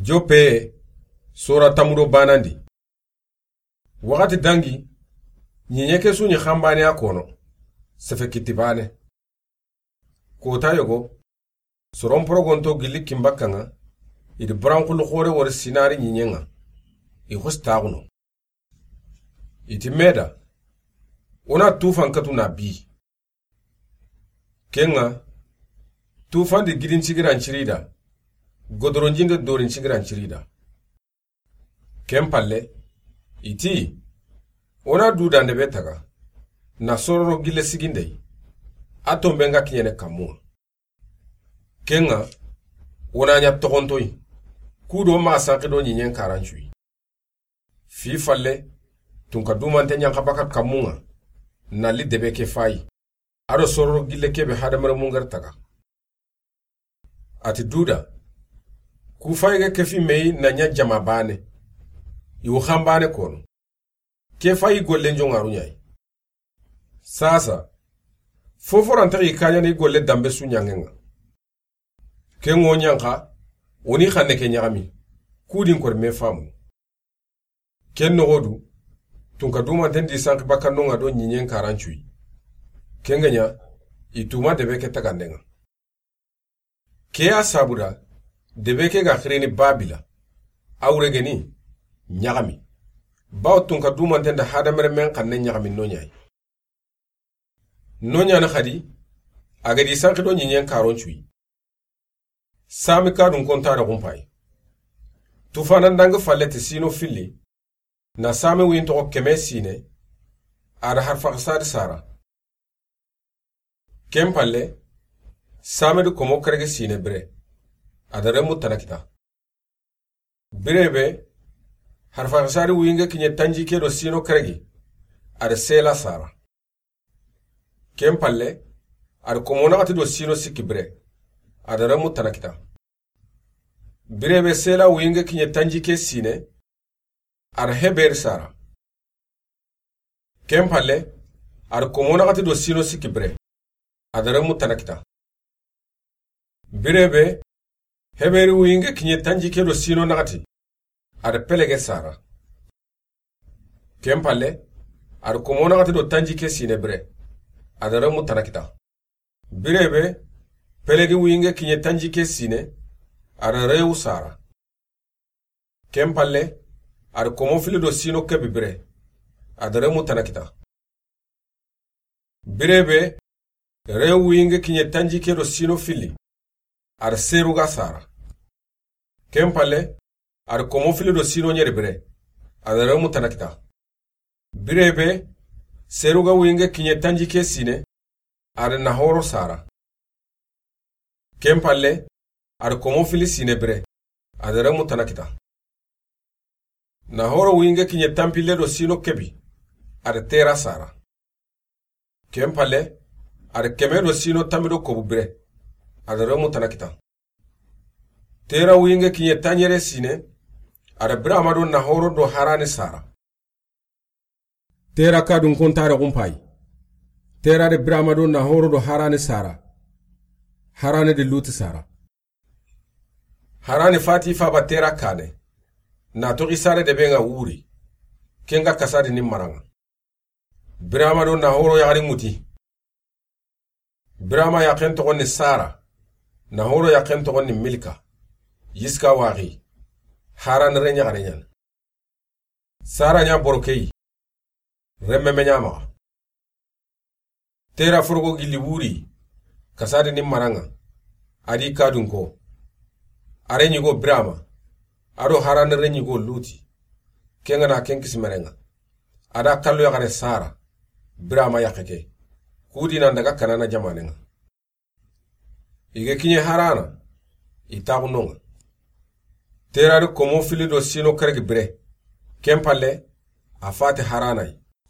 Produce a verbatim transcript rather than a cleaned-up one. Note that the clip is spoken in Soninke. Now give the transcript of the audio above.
Joppe, sora tamudo banandi. Waxati dangi, ɲiɲe ke su ɲi xanbane a kono, sefe kitti bane. Kota yogo, soron porogonto gilli kinbakka ŋa, i di buranxulu xore wori sinari ɲiɲe ŋa, i xosi taxuno. I ti meda, o na tufan katu na bi. Ken ŋa, tufan di gidin cigiran cirida, godoronjinde dorin cigiran cirida. Ken palle, i ti, o na dudande be taga, na sororo gille sigindey, a tombe nga kiɲene kammuŋa. Ken ŋa, o na ɲa toxontoyi, kudo ma sanki do ɲiɲen karancuyi. Fi falle, tunka dumante ɲanxa baka kammuŋa, na li debe ke fayi. A do sororo gille kebe hadamare mungari taga. A ti duda, ku fayi ga kefi meyi na ɲa jama bane, i wu xanbane kono. Ke fayi gollen joŋaru ɲayi. Sasa, foforantaxi kaɲani golle dambe su ɲanŋen ŋa. Ken ŋo ɲanxa, o ni xanne ke ɲaxami, kudin kori me famu. Ken noxodu, tunka dumanten di sanki bakkanno ŋa do ɲiɲen karancuyi. Ken ga ɲa, i tuma debe ke tagande ŋa. Ke ya sabuda, debe ke ga xirini babila, a wure geni, ɲaxami. Bawo tunka dumanten da hadamare men xanne ɲaxami no ɲayi. No ɲani xadi, a ga di sanki do ɲiɲen karon cuyi. Sami kadun konta da xumpayi. Tufana ndangi falle ti sino filli, na sami wuyin toxo keme sine, a da harfaxisadi sara. Ken palle, sami di komo kerege sine bire, a da remu tana kita. Bire be, harfaxisadi wuyinge kiɲe tanji ke do sino keregi, a da sela sara. Ken palle, a da komo naxati do sino sikki bire, a da remu tana kita. Bire be sela wuyinge kiɲe tanji ke sine, a da heberi sara. Ken palle, a da komo naxati do sino sikki bire, a da remu tana kita. Bire be, heberi wuyinge kiɲe tanji ke do sino naxati, a da pelege sara. Ken palle, a da komo naxati do tanji ke sine bire, a da remu tana kita. Bire be, pelegi wuyinge kiɲe tanji ke sine, a da rewu sara. Ken palle, a da komo fili do sino kebi bire, a da remu tana kita. Bire be, rewu wuyinge kiɲe tanji ke do sino fili, a da seruga sara. Ken palle, a da komo fili do sino ɲeri bire, a da remu tana kita. Bire be, seruga wuyinge kiɲe tanji ke sine, a da nahoro sara. Ken palle, a da komo fili sine bire, a da remu tana kita. Nahoro wuyinge kiɲe tanpille do sino kebi, a da tera sara. Ken palle, a da keme do sino tanmi do kobu bire, a da remu tana kita. Tera wuyinge kiɲe tanɲere sine, a da Birama do Nahoro do Harane sara. Tera kadun kontare xumpayi. Tera de Birama do Nahoro do Harane sara. Harane de Luti sara. Harane fati faba Tera kane. Na toxi sare de be ŋa wuri. Ken ga kasadi ni maraŋa. Birama do Nahoro yaxari ŋuti. Birama yaxen toxon ni Sara, Nahoro yaxen toxon ni Milka, Yiska waxi, Haran re ɲaxare ɲan. Sara ɲa borokeyi, remme me ɲa maxa. Tera forogo gilli wuri, kasadi ni maraŋa, a di kadunko. A re ɲigo Birama, a do Haran re ɲigo Luti, ken ga na ken kisimereŋa. A da kallo yaxare Sara, Birama yaxe ke. Kudi nan daga Kanana jamaneŋa. I ga kiɲe Harana, i taxu noŋa. Tera di komo fili do sino keregi bire. Ken palle, a fati Harana yi.